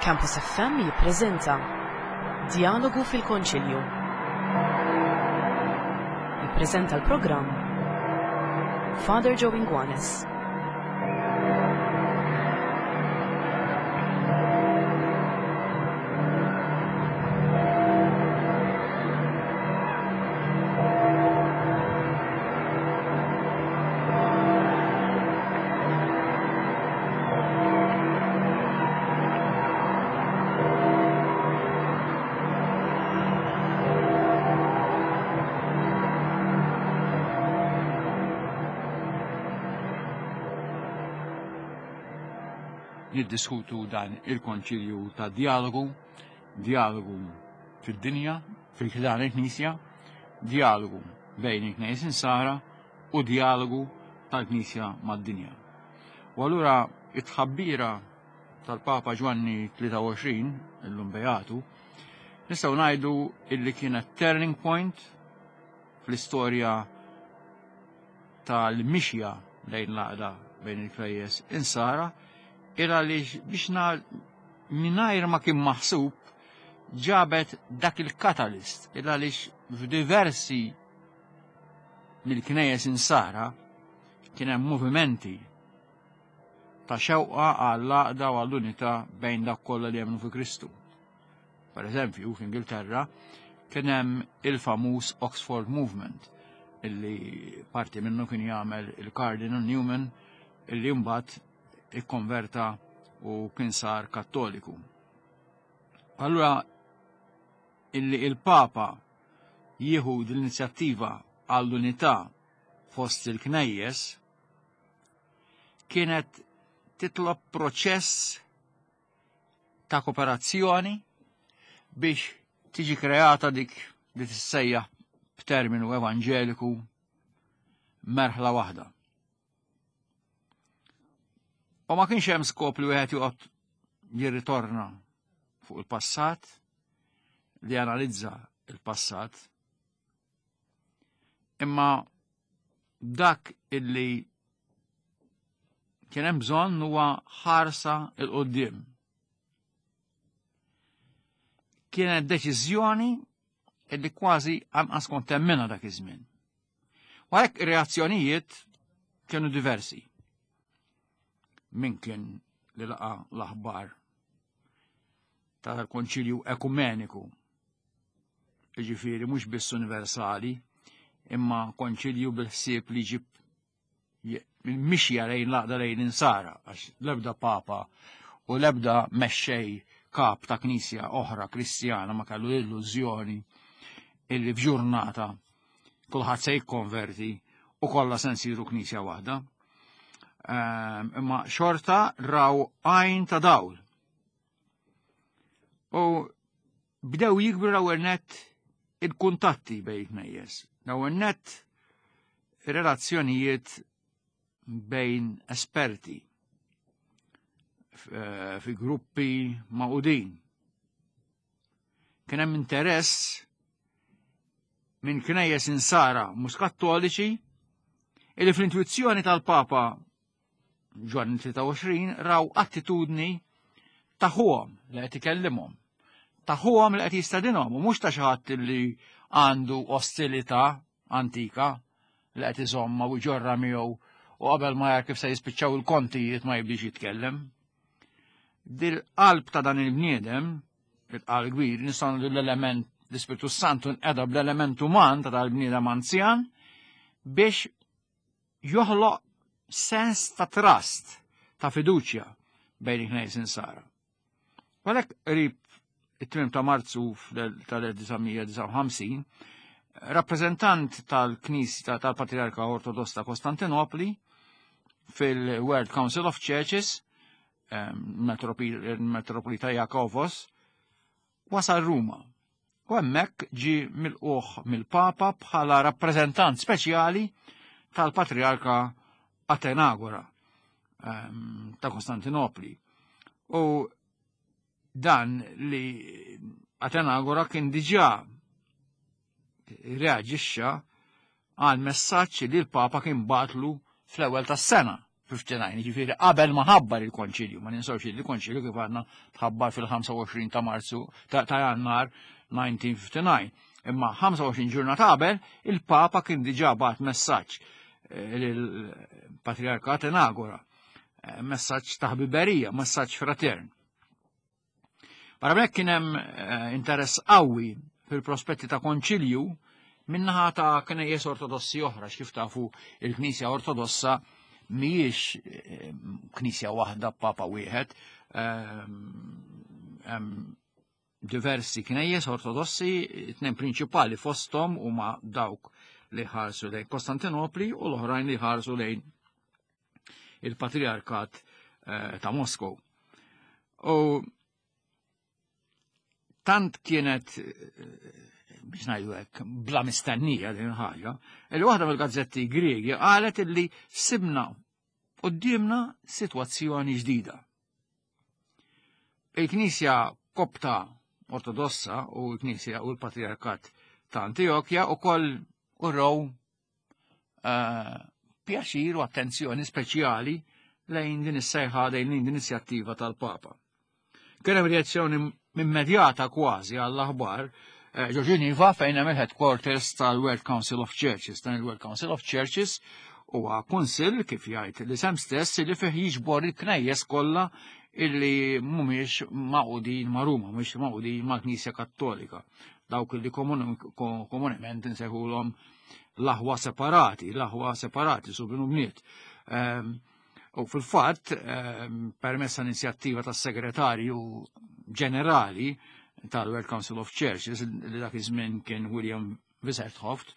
Campus FM jippreżenta Djalogu fil-Konċilju. Jippreżenta l-programm Father Joe Inguanes. Niddiskutu dan il-konċilju ta' dialogu, dialogu fid-dinja, fil-ħdan il-Knisja, dialogu bejn il-Knejjes Insara u dialogu tal-Knisja mad-dinja. U allura it-tħabbira tal-Papa Ġwanni 23, illum Beatu, nistgħu ngħidu illi kienet turning point fl-istorja tal-mixja lejn l-għaqda bejn il-knejjes insara, il għaliex biex mingħajr ma kien maħsub ġabet dak il-katalist, il għaliex f'diversi mill-knejjes insara kien hemm movimenti ta' xewqa għall-għaqda u għall-unità bejn dak kollha li jemmnu fi Kristu. Per eżempju, f'Ingilterra kien hemm il-famuż Oxford Movement illi parti minnu kien jagħmel il-Cardinal Newman illi mbagħad ikkonverta u kien sar kattoliku. Allura illi il-Papa jieħu l-inizjattiva għall-unità fost il-knejjes kienet titlob proċess ta' kooperazzjoni biex tiġi kreata dik li tissejjaħ b'terminu evanġeliku merħla waħda. U ma kienx hemm skop li wieħed joqgħod jirritorna fuq il-passat, li analizza il-passat, imma dak illi kien hemm bżonn huwa ħarsa il qudiem Kienet deċiżjoni illi kważi anqas kont temminha dak iż-żmien. U għalhekk ir-reazzjonijiet kienu diversi. Min kien li laqa l-aħbar tal-Konċilju Ekumeniku, jiġifieri mhux biss universali, imma konċilju bil-ħsieb li ġib mixja lejn laqda lejn insara, għax l-ebda papa u l-ebda mexxej kap ta' knisja oħra kristjana ma kellu l-illużjoni illi f'ġurnata kulħadd se jikkonverti u kollha se nsiru knisja waħda. Ehm, imma xorta raw għajn ta' dawl. U bdew jikbru l-ewwel nett il-kuntatti bejn knejjes. L-ewwel nett relazzjonijiet bejn esperti eh, fi gruppi maqudin. Kien hemm interess minn knejjes insara mhux kattoliċi illi fl-intuizzjoni tal-Papa Ġwanni 23 raw attitudni ta' ħuhom li qed ikellimhom. Ta' ħuhom li qed jistedinhom u mhux ta' xi ħadd li għandu ostilità antika li qed iżomma u jġorra miegħu u qabel ma jar kif se jispiċċaw il-kontijiet ma jibdix jitkellem. Dil-qalb ta' dan il-bniedem, il-qalb kbir, nistgħu l-element l-Ispirtu Santu nqeda bl-element uman ta' dal-bniedem anzjan biex joħloq sens ta' trust, ta' fiduċja bejn il-Knejjes Insara. Għalhekk qrib it-tmiem ta' Marzu tal-1959, rappreżentant tal-Knisja tal-Patriarka Ortodoss ta' Kostantinopli fil-World Council of Churches, ehm, Metropolita Jakovos, wasal Ruma u hemmhekk ġie milqugħ mill-Papa bħala rappreżentant speċjali tal-Patriarka Atenagora ehm, ta' Kostantinopli. U dan li Atenagora kien diġà reaġixxa għal messaġġ li l-Papa kien batlu fl-ewwel tas-sena. 59, ġifieri qabel ma ħabbar il-konċilju, ma ninsawx li l-konċilju kif għadna tħabbar fil-25 ta' Marzu ta' Jannar 1959. Imma 25 ġurnata qabel il-Papa kien diġà bagħat messaġġ eh, lill-Patriarka Atenagora, eh, messaġġ ta' ħbiberija, messaġġ fratern. Barra minn hekk kien hemm eh, interess qawwi fil-prospetti ta' konċilju minnaħa ta' knejjes ortodossi oħra, x'kif tafu il-Knisja Ortodossa mhijiex eh, knisja waħda papa wieħed, eh, diversi knejjes ortodossi, tnejn prinċipali fosthom huma dawk li ħarsu lejn Kostantinopli u l-oħrajn li ħarsu lejn il-Patriarkat eh, ta' Moskow. U tant kienet eh, biex ngħidu hekk bla mistennija din ħaġa, li waħda mill-gazzetti Griegi qalet illi sibna qudiemna sitwazzjoni ġdida. Il-Knisja Kopta Ortodossa u l-Knisja u l-Patriarkat ta' Antiochja ukoll uraw eh, pjaċir u attenzjoni speċjali lejn din is-sejħa lejn din l-inizjattiva tal-Papa. Kien hemm reazzjoni immedjata kważi għall-aħbar eh, ġo Ġeniva fejn hemm il-headquarters tal-World Council of Churches. Dan il-World Council of Churches huwa kunsill kif jgħid l-isem stess li fih jiġbor il-knejjes kollha illi mhumiex maqudin ma' Ruma, mhumiex maqudin mal-Knisja Kattolika. Dawk li komunement insejħulhom l-aħwa separati, l-aħwa separati subin u bniet. Ehm, u fil-fatt, ehm, permessa inizjattiva tas-segretarju ġenerali tal-World Council of Churches, li dak iż-żmien kien William Wisserthoft,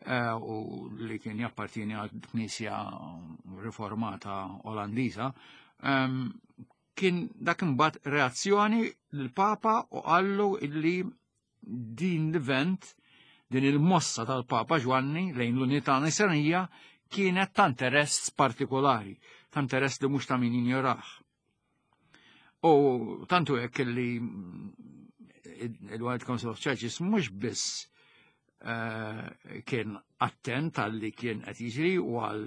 eh, u li kien jappartieni għal Knisja Riformata Olandiża, ehm, kien dak imbagħad reazzjoni lill-Papa u qallu illi din l-event, din il-mossa tal-Papa Ġwanni lejn l-unità nisranija kienet ta' interess partikolari, ta' interess li mhux ta' min jinjorah. U tantu hekk li il-World Council of Churches mhux biss eh, kien attent għal li kien qed jiġri u għal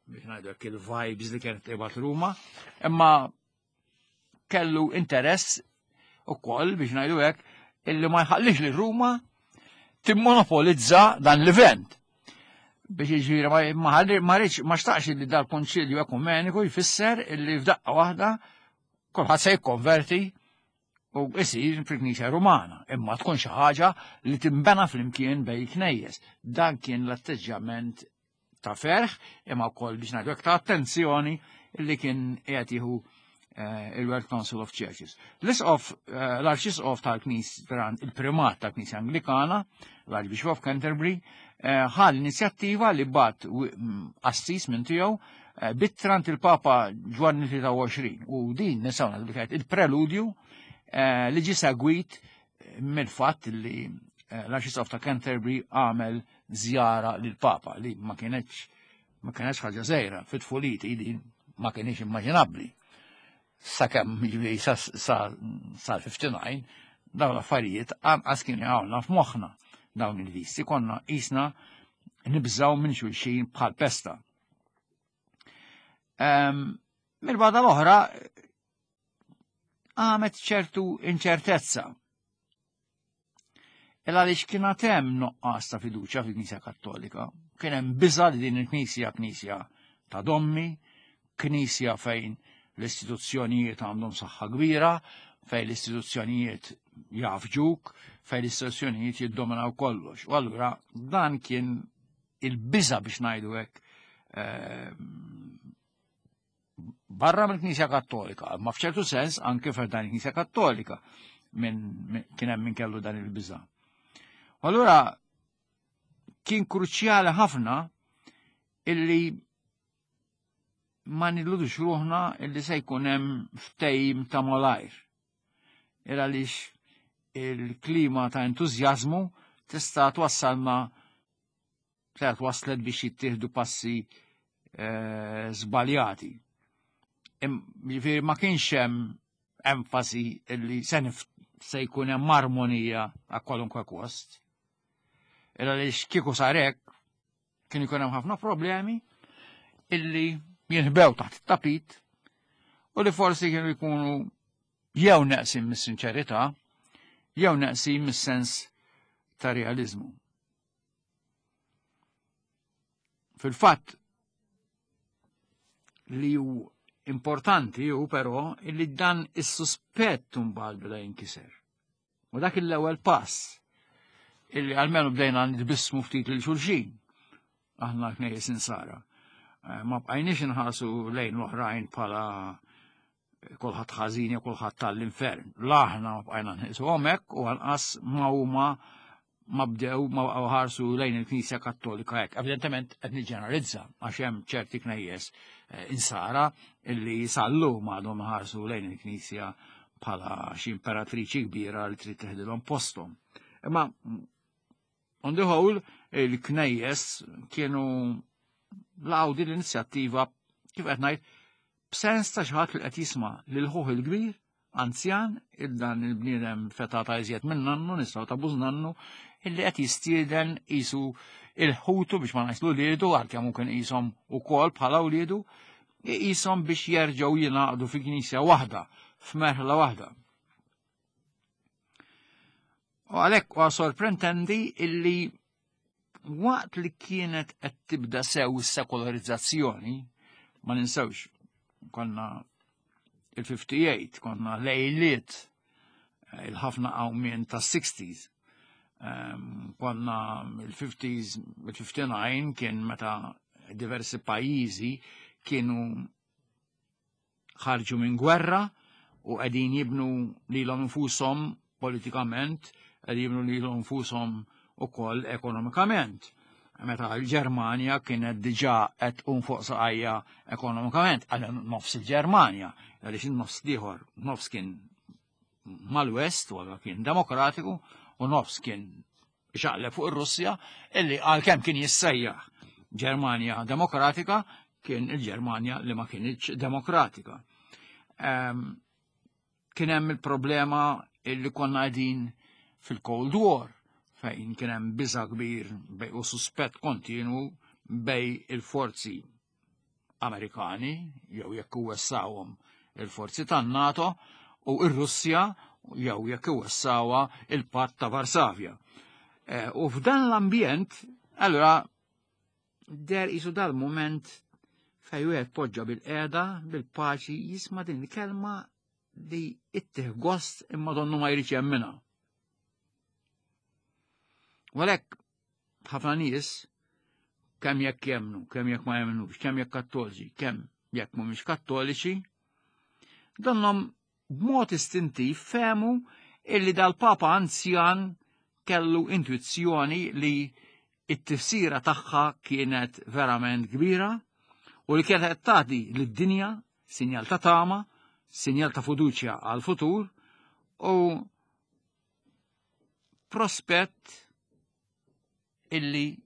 biex ngħidu hekk il-vibes li kienet tibgħat Ruma, imma kellu interess ukoll biex ngħidu hekk illi ma jħallix li Ruma timmonopolizza dan l-event. Biex jiġifieri ma rridx ma xtaqx li dal-Konċilju Ekumeniku jfisser illi f'daqqa waħda kulħadd se jikkonverti u isir fil-Knisja Rumana, imma tkun xi ħaġa li timbena flimkien bej knejjes. Dan kien l-atteġġjament ta' ferħ imma wkoll biex ngħidu ta' attenzjoni li kien qiegħed jieħu eh, il-World Council of Churches. L-isqof, eh, l-arċisqof tal-Knisja, il-primat tal-Knisja Anglikana, l-Archbishop of Canterbury, eh, ħa l-inizjattiva li bat assis minn tiegħu bittrant il-Papa Ġwanni 23 u din nistgħu ngħidu kienet il-preludju li ġie segwit mill-fatt li l-Arċisqof ta' Canterbury għamel żjara lill-Papa li ma kienx ma kienx ħaġa żgħira fit-tfuliti li ma kienx immaġinabbli. Sakemm jiġifieri sal-59 dawn l-affarijiet anqas kienu jgħawna f'moħħna dawn il-visti konna qisna nibżaw minn xulxin bħal pesta. Ehm, Mill-bada l-oħra għamet ċertu inċertezza Il għaliex kien għad hemm nuqqas ta' fiduċja fil-Knisja Kattolika. Kien hemm biża' li din il-Knisja Knisja ta' dommi, Knisja fejn l-istituzzjonijiet għandhom saħħa kbira, fejn l-istituzzjonijiet jafġuk, fejn l-istituzzjonijiet jiddominaw kollox. U allura dan kien il-biża' biex ngħidu hekk eh, barra mill-Knisja Kattolika, ma f'ċertu sens anke f'dan il-Knisja Kattolika minn kien hemm min kellu dan il-biża. Allura kien kruċjali ħafna illi ma nilludux ruħna illi se jkun hemm ftehim ta' malajr. Il għaliex il-klima ta' entużjażmu tista' twassalna Kienet waslet biex jittieħdu passi eh, żbaljati. Ġifieri ma kienx hemm enfasi li se se jkun hemm armonija għal kwalunkwe kost. Illa li kieku sarek kien ikun hemm ħafna problemi illi jinħbew taħt it-tapit u li forsi kienu jkunu jew neqsin mis-sinċerità jew neqsin mis-sens ta' realizmu. Fil-fatt li hu importanti hu però li dan is-suspett imbagħad beda jinkiser. U dak l-ewwel pass illi għalmenu bdejna nitbissmu ftit lil xulxin aħna knejjes insara. Eh, ma bqajniex inħarsu lejn l-oħrajn bħala kulħadd ħażin jew kulħadd tal-infern. L-aħna ma bqajna nħisu hemmhekk u anqas ma huma ma bdew ma baqgħu ħarsu lejn il-Knisja Kattolika hekk. Evidentement qed niġġeneralizza għax hemm ċerti knejjes eh, insara illi sallum għadhom ħarsu lejn il-Knisja bħala xi imperatriċi kbira li trid teħdilhom posthom. Imma on the whole il-knejjes kienu laqgħu din l-inizjattiva kif qed ngħid b'sens ta' xi ħadd li qed jisma' lil ħuh il-kbir anzjan, il-dan il-bniedem feta ta' iżjed minn nannu, nistgħu ta' bużnannu, illi qed jistieden qisu il-ħutu biex ma ngħidx uliedu, għalkemm mumkin qishom ukoll bħala uliedu, qishom biex jerġgħu jingħaqdu fi knisja waħda, f'merħla waħda. U għalhekk huwa sorprendenti illi waqt li kienet qed tibda sew is-sekolarizzazzjoni, ma ninsewx konna il-58, konna lejliet eh, il-ħafna qawmien ta' 60s. Ehm, konna il-50s, il-59 kien meta diversi pajjiżi kienu ħarġu minn gwerra u qegħdin jibnu lilhom infushom politikament, qegħdin jibnu lilhom infushom ukoll ekonomikament. Meta l-Ġermanja kienet diġà qed tqum fuq saqajja ekonomikament, għal nofs il-Ġermanja, għaliex in-nofs ieħor, nofs kien mal-West, u kien demokratiku, u nofs kien xaqleb fuq ir-Russja, illi għalkemm kien jissejjaħ Ġermanja Demokratika, kien il-Ġermanja li ma kienx demokratika. Ehm, kien hemm il-problema illi konna qegħdin fil-Cold War fejn kien hemm biża' kbir bej u suspett kontinu bej il-forzi Amerikani jew jekk iwessawhom il-forzi tan-NATO u r-Russja jew jekk iwessawha il-Patt ta' Varsavja. Eh, u f'dan l-ambjent, allura der isu dal-moment fej wieħed poġġa bil-qeda, bil-paċi, jisma' din il-kelma li ittih gost imma donnu ma jridx jemminha. U għalhekk ħafna nies kemm jekk jemmnu, kemm jekk ma jemmnux, kemm jekk kattoliċi, kemm jekk mhumiex kattoliċi, donhom b'mod istintiv fehmu illi dal-Papa anzjan kellu intuizzjoni li it-tifsira tagħha kienet verament kbira u li kienet qed tagħti lid-dinja sinjal ta' tama, sinjal ta' fiduċja għal-futur u prospett illi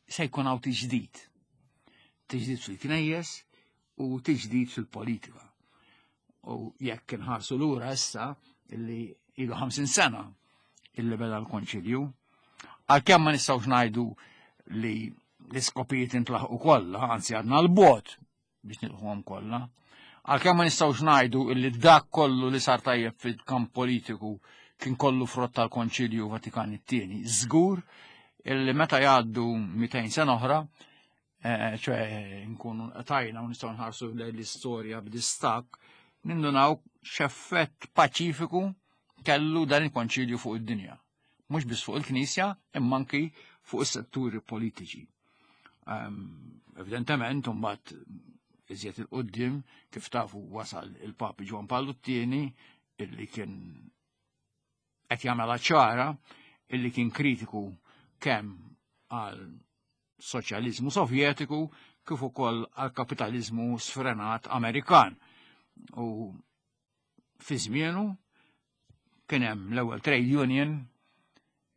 se jkun hawn tiġdid. Tiġdid fil-knejjes u tiġdid fil-politika. U jekk inħarsu lura issa illi ilu 50 sena illi beda l-konċilju, għalkemm ma nistgħux ngħidu li l-iskopijiet intlaħqu kollha, anzi għadna l-bot biex nilħuhom kollha. Għalkemm ma nistgħux ngħidu illi dak kollu li sar tajjeb fil-kamp politiku kien kollu frott tal-Konċilju Vatikan it-tieni. Żgur illi meta jgħaddu 200 sena oħra, eh, ċe nkunu tajna u nistgħu nħarsu l-istorja b'distak, nindunaw x'effett paċifiku kellu dan il-konċilju fuq id-dinja. Mhux biss fuq il-Knisja, imma anki fuq is-setturi politiċi. Ehm, evidentement, mbagħad iżjed il-qoddim kif tafu wasal il-Papi Ġwan Pawlu t-tieni illi kien qed jagħmel ċara illi kien kritiku kemm għal soċjaliżmu sovjetiku kif ukoll għal kapitaliżmu sfrenat Amerikan. U fi żmienu kien hemm l-ewwel trade union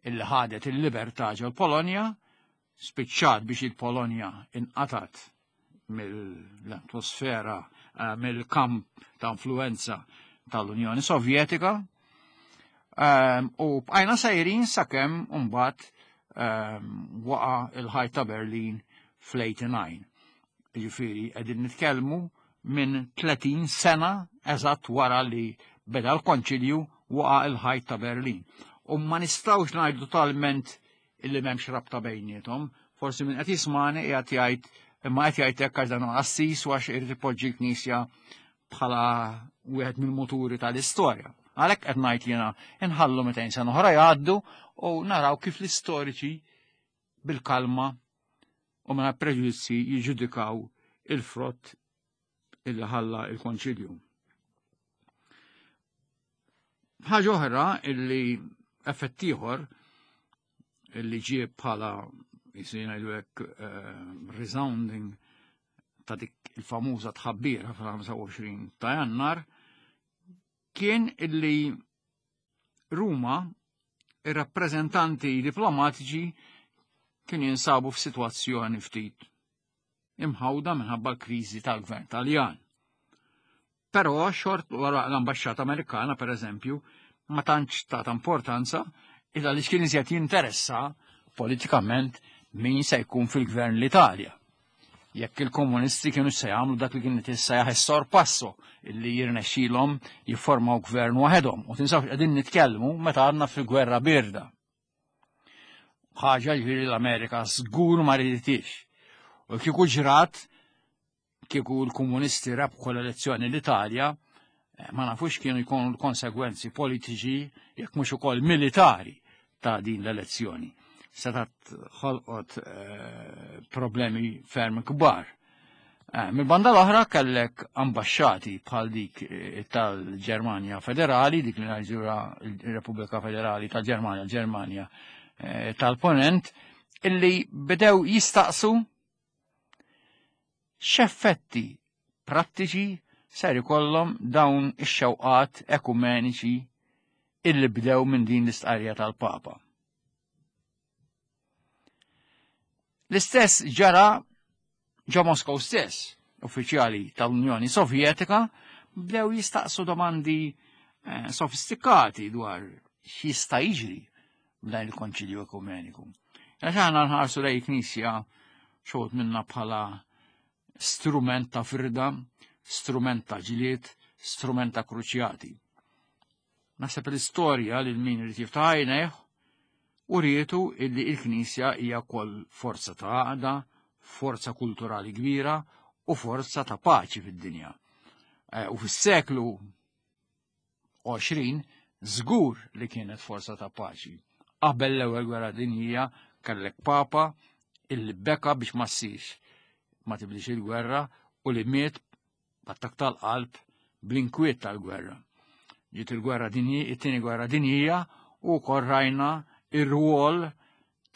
illi ħadet il-libertà ġol Polonja, spiċċat biex il-Polonja inqatat mill-atmosfera, eh, mill-kamp ta' influenza tal-Unjoni Sovjetika. Ehm, u bqajna sejrin sakemm mbagħad ehm, waqa' il-ħajt ta' Berlin fl-89. Jiġifieri qegħdin nitkellmu minn 30 sena eżatt wara li beda l-konċilju waqa' il-ħajt ta' Berlin. U ma nistgħux ngħidu totalment illi m'hemmx rabta bejniethom. Forsi min qed jismani qiegħed jgħid imma qed jgħid hekk għax dan huwa qassis u għax irid ipoġġi l-Knisja bħala wieħed mill-muturi tal-istorja. Għalhekk qed ngħid jiena inħallu 200 sena oħra jgħaddu u naraw kif l-istoriċi bil-kalma u mingħajr preġudizzji jiġġudikaw il-frott illi ħalla il-konċilju. Ħaġa oħra illi effett ieħor illi ġie bħala jisir ngħidu hekk eh, resounding ta' dik il-famuża tħabbira fil-25 ta' Jannar kien illi Ruma ir-rappreżentanti diplomatiċi kienu jinsabu f'sitwazzjoni ftit imħawda minħabba l-kriżi tal-gvern Taljan. Però xort wara l-ambaxxata Amerikana, per eżempju, ma tantx ta' importanza illa li kien iżjed jinteressa politikament min se jkun fil-gvern l-Italja. Jekk il-komunisti kienu se jagħmlu dak li kien jissejjaħ is-sorpasso illi jirnexxilhom jiffurmaw gvern waħedhom. U tinsawx qegħdin nitkellmu meta għadna fil-gwerra birda. Ħaġa ġifieri l-Amerika żgur ma riditix. U kieku ġrat kieku l-komunisti rebħu l-elezzjoni l-Italja, eh, ma nafux kienu jkunu l-konsegwenzi politiċi jekk mhux ukoll militari ta' din l-elezzjoni. Setat ħolqot eh, problemi ferm kbar. Eh, Mil-banda l-oħra kellek ambasċati bħal dik tal-Ġermanja Federali, dik li ngħidura il-Repubblika Federali tal-Ġermanja, Ġermanja tal-Ponent, illi bdew jistaqsu X'effetti prattiċi ser ikollhom dawn ix-xewqat ekumeniċi illi bdew minn din l-istqarrija tal-Papa? L-istess ġara ġo Moskow stess, uffiċjali tal-Unjoni Sovjetika bdew jistaqsu domandi eh, sofistikati dwar x'jista' jiġri b'dan il-Konċilju Ekumeniku. Għax aħna nħarsu lej knisja xogħod minna bħala strument ta' firda, strument ta' ġlied, strument ta' kruċjati. Naħseb l-istorja lil min irid jiftaħ għajnejh u rietu illi il-Knisja hija wkoll forza ta' għaqda, forza kulturali kbira u forza ta' paċi fid-dinja. Eh, u fis-seklu 20 żgur li kienet forza ta' paċi. Qabel l-ewwel gwerra dinjija kellek papa illi beka biex ma ssirx ma tibdix il-gwerra u li miet b'attak tal-qalb bl-inkwiet tal-gwerra. Ġiet il-gwerra dinji, it-tieni gwerra dinjija u wkoll rajna ir-rwol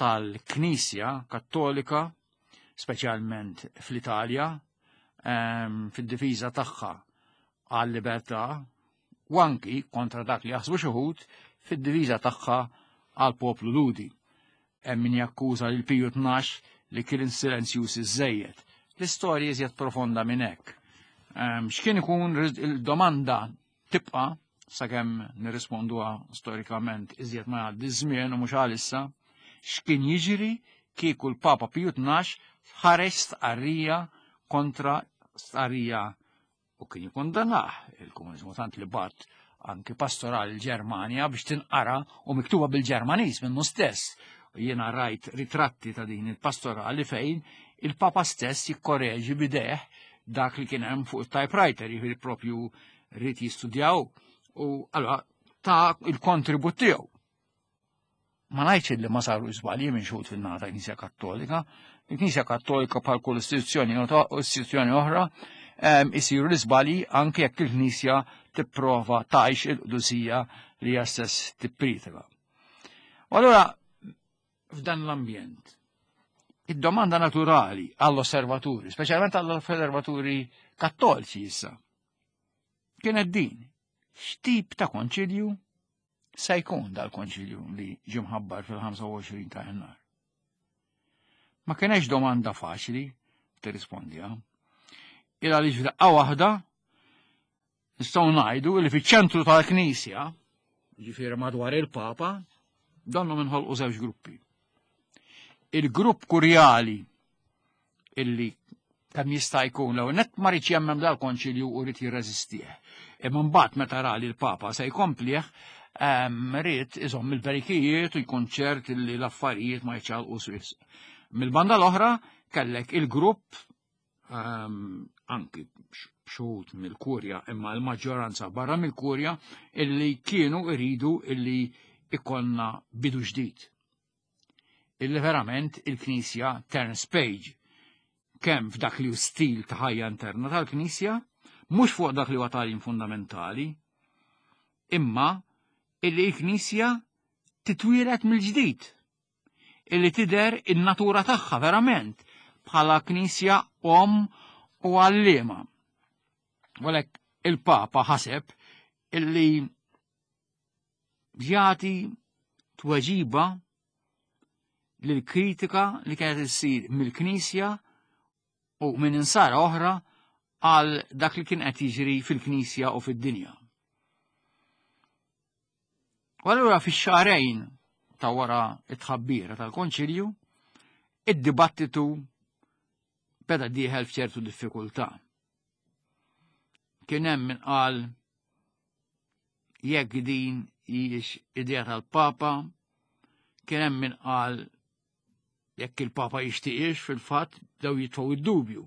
tal-Knisja Kattolika, speċjalment fl-Italja, ehm, fid-difiża tagħha għal-libertà u anki kontra dak li jaħsbu xi wħud fid-diviża tagħha għall-poplu Lhudi. Hemm min jakkuża lil Piju 12 li kien silenzjuż iżżejjed. L-istorja iżjed profonda minn hekk. Ehm, x'kien ikun il-domanda tibqa' sakemm nirrisponduha storikament iżjed ma jgħaddi żmien u mhux għalissa, x'kien jiġri kieku l-Papa Piju 12 ħareġ stqarrija kontra stqarrija u kien jikkondanah il-komuniżmu tant li bat anki pastorali l-Ġermanja biex tinqara u miktuba bil-Ġermaniż minnu stess. Jiena rajt ritratti ta' din il-pastorali fejn il-Papa stess jikkoreġi bideħ dak li kien hemm fuq il-typewriter, jiġifieri propju rrid jistudjaw u allura ta' il-kontribut tiegħu. Ma ngħidx li ma saru żbalji minn xhud fin-naħa ta' Knisja Kattolika. Il-Knisja Kattolika bħal kull istituzzjoni istituzzjoni oħra ehm, isiru l-iżbalji anke jekk il-Knisja tipprova tgħix il-qdusija li hija stess tippritika. U allura f'dan l-ambjent id-domanda naturali għall-osservaturi, speċjalment għall-osservaturi kattoliċi issa, kienet din, x'tip ta' konċilju se jkun dal-konċilju li ġie mħabbar fil-25 ta' Jannar? Ma kienx domanda faċli tirrispondiha. Il għaliex f'daqqa waħda nistgħu ngħidu li fiċ-ċentru tal-Knisja, ġifieri madwar il-Papa, donnu minħolqu żewġ gruppi. Il-grupp kurjali illi Kemm jista' jkun l net ma rridx jemmen dal-konċilju u rrid jirreżistih. Imma mbagħad meta ra li l-Papa se jkomplih, ried iżomm il-berikijiet u jkun ċert li l-affarijiet ma jċalqu swiss. Mill-banda l-oħra kellek il-grupp anki xhud mill-kurja imma l-maġġoranza barra mill-kurja illi kienu iridu illi ikonna bidu ġdid. Illi verament il-Knisja turns page kemm f'dak li hu stil ta' ħajja interna tal-Knisja, mhux fuq dak li huwa tagħlim fundamentali, imma illi l-Knisja titwieled mill-ġdid, illi tidher in-natura tagħha verament bħala Knisja omm u għalliema. Għalhekk il-Papa ħaseb illi jagħti tweġiba lill-kritika li kienet issir mill-Knisja u minn insara oħra għal dak li kien qed jiġri fil-Knisja u fid-dinja. U allura fix-xahrejn ta' wara it-tħabbira tal-Konċilju, id-dibattitu beda dieħel f'ċertu diffikultà. Kien hemm min qal jekk din hijiex idea tal-Papa, kien hemm min qal jekk il-Papa jixtieqx fil-fatt bdew jitfgħu id-dubju.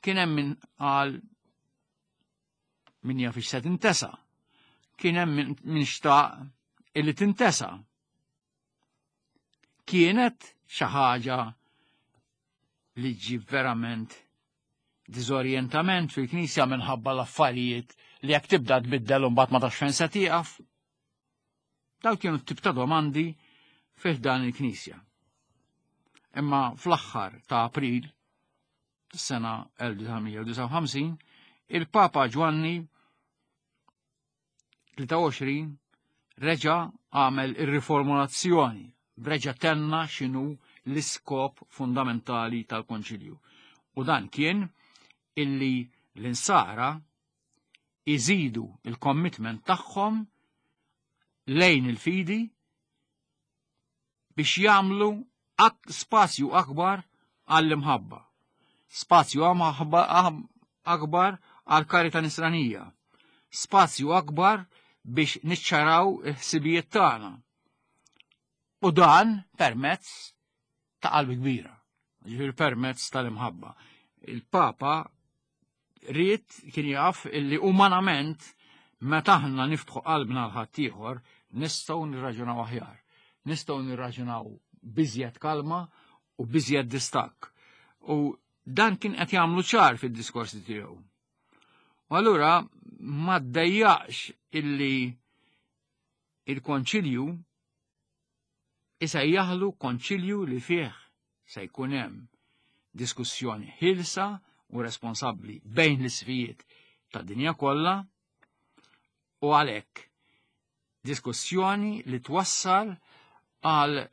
Kien hemm min qal min jaf se tintesa. Kien hemm min xtaq illi tintesa. Kienet xi ħaġa li ġib verament diżorjentament fil-Knisja minħabba l-affarijiet li jekk tibda tbiddel u mbagħad ma tafx fejn se tieqaf. Dawn kienu t-tip ta' domandi fih dan il-Knisja. Imma fl-aħħar ta' April sena 1959, il-Papa Ġwanni 23 reġa' għamel ir-riformulazzjoni, reġa' tenna x'inhu l-iskop fundamentali tal-Konċilju. U dan kien illi l-insara iżidu il-commitment tagħhom lejn il-fidi biex jagħmlu spazju akbar għall-imħabba, spazju akbar għall-karita nisranija, spazju akbar biex niċċaraw il-ħsibijiet tagħna. U dan permezz ta' qalb kbira, ġifieri permezz tal-imħabba. Il-Papa ried kien jaf illi umanament meta aħna niftħu qalbna l ħaddieħor nistgħu nirraġunaw aħjar. Nistgħu nirraġunaw biżjed kalma u biżjed distakk. U dan kien qed jagħmlu ċar fid-diskorsi tiegħu. U allura ma ddejjaqx illi il-konċilju isejjaħlu konċilju li fih se jkun hemm diskussjoni ħilsa u responsabbli bejn l-isfijiet tad-dinja kollha u għalhekk diskussjoni li twassal għal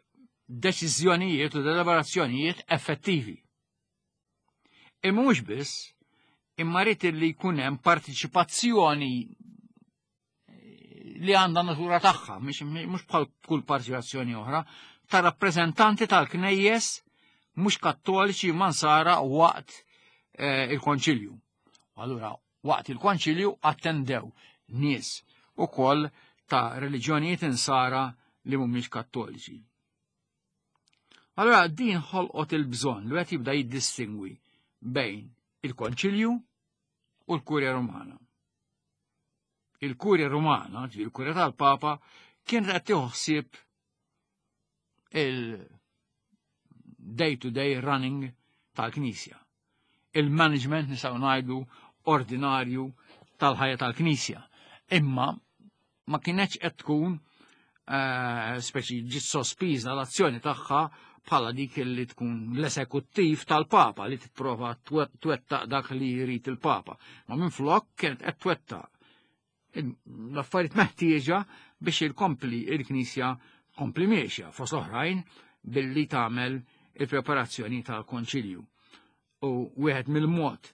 deċiżjonijiet u deliberazzjonijiet effettivi. Imma mhux biss, imma rrid li jkun hemm partiċipazzjoni li għandha natura tagħha, mhux bħal kull partiċipazzjoni oħra, ta' rappreżentanti tal-knejjes mhux kattoliċi mansara waqt eh, il-konċilju. Allura, waqt il-konċilju attendew nies ukoll ta' reliġjonijiet insara li mhumiex kattoliċi. Allura din ħolqot il-bżonn li qed jibda jiddistingwi bejn il-konċilju u l-Kurja Rumana. Il-Kurja Rumana, ġifieri il-Kurja tal-Papa, kienet qed tieħu ħsieb il-day-to-day running tal-Knisja. Il-management nistgħu ngħidu ordinarju tal-ħajja tal-Knisja. Imma ma kienx qed tkun eh, speċi ġiet sospiża l-azzjoni tagħha bħala dik li tkun l-esekuttiv tal-Papa li tipprova twettaq dak li jrid il-Papa. Ma minflok kienet qed twettaq l-affarijiet meħtieġa biex il-kompli il-Knisja kompli miexja fost oħrajn billi tagħmel il-preparazzjoni tal-Konċilju. U wieħed mill-mod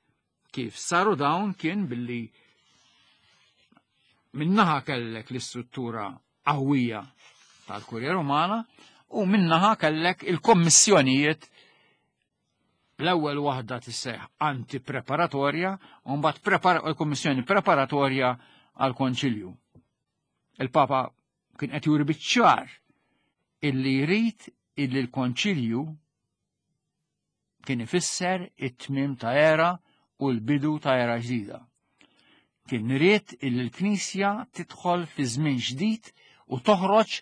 kif saru dawn kien billi minnaħa kellek l-istruttura qawwija tal-Kurja Rumana u minnaħa kellek il-kommissjonijiet L-ewwel waħda tisseħ antipreparatorja u mbagħad il-kummissjoni preparatorja għall-Konċilju. Il-Papa kien qed juri biċ-ċar illi jrid illi l-Konċilju kien ifisser it-tmiem ta' era u l-bidu ta' era ġdida. Kien ried illi l-Knisja tidħol fi żmien ġdid u toħroġ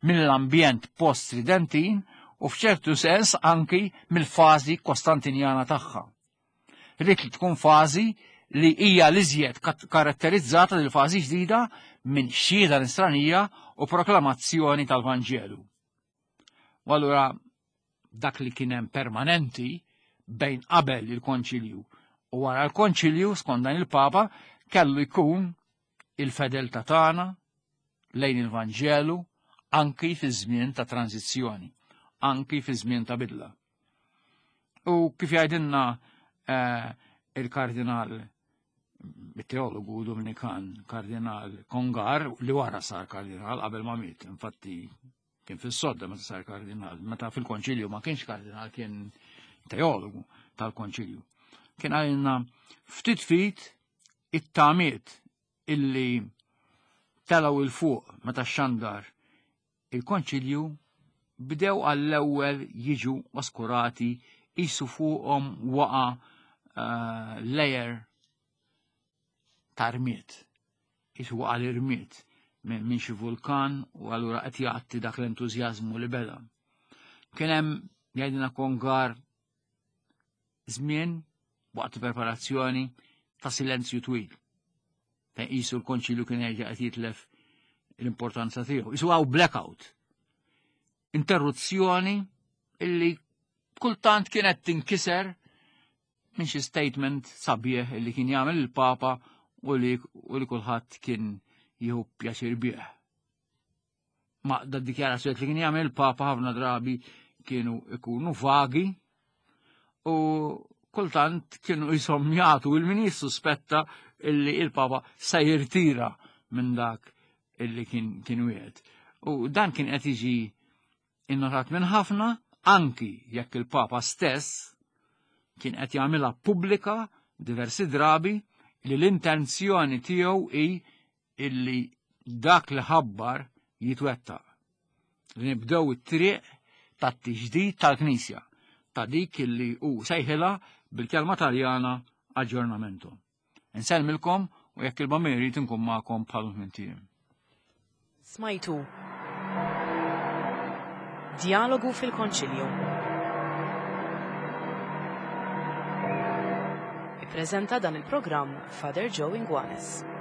mill-ambjent post-Tridentin u f'ċertu sens anki mill-fażi Kostantinjana tagħha. Ried li tkun fażi li hija l-iżjed karatterizzata lil fażi ġdida minn xhieda nisranija u proklamazzjoni tal-Vanġelu. U allura dak li kien hemm permanenti bejn qabel il-konċilju u wara l-konċilju skont dan il-Papa kellu jkun il-fedeltà tagħna lejn il-Vanġelu anki fi żmien ta' tranzizzjoni, anki fi żmien ta' bidla. U kif jgħidilna eh, il-kardinal il-teologu Dominikan kardinal Kongar li wara sar kardinal qabel ma miet, infatti kien fis-sodda meta sar kardinal, meta fil-konċilju ma kienx kardinal kien teologu tal-konċilju. Kien għalina ftit fit it-tamiet illi telaw il-fuq meta xandar il-konċilju bdew għall-ewwel jiġu oskurati jisu fuqhom waqa uh, layer ta' rmied. Qisu waqa' l-irmied minn xi vulkan u allura qed jgħatti dak l-entużjażmu li beda. Kien hemm jgħidilna Kongar żmien waqt preparazzjoni ta' silenzju twil. Fejn qisu l-konċilju kien jerġa' qed jitlef l-importanza tiegħu. Isu għaw blackout. Interruzzjoni illi kultant kienet tinkiser minn xi statement sabiħ li kien jagħmel il-Papa u li, u li kulħadd kien jieħu pjaċir bih. Ma da dikjarazzjoni li kien jagħmel il-Papa ħafna drabi kienu ikunu vagi u kultant kienu jisom jagħtu il-min jissuspetta illi il-Papa se jirtira minn dak illi kien kien wieħed. U dan kien qed jiġi innotat minn ħafna anki jekk il-Papa stess kien qed jagħmilha pubblika diversi drabi li l-intenzjoni tiegħu hi illi dak li ħabbar jitwettaq. Li nibdew it-triq tat-tiġdid tal-Knisja ta' dik illi hu sejħilha bil-kelma Taljana aġġornamento. Insellmilkom u jekk il-Bambin irid inkun magħkom bħal minn Smajtu. Djalogu fil-Konċilju. Ippreżenta dan il-programm Father Joe Inguanes.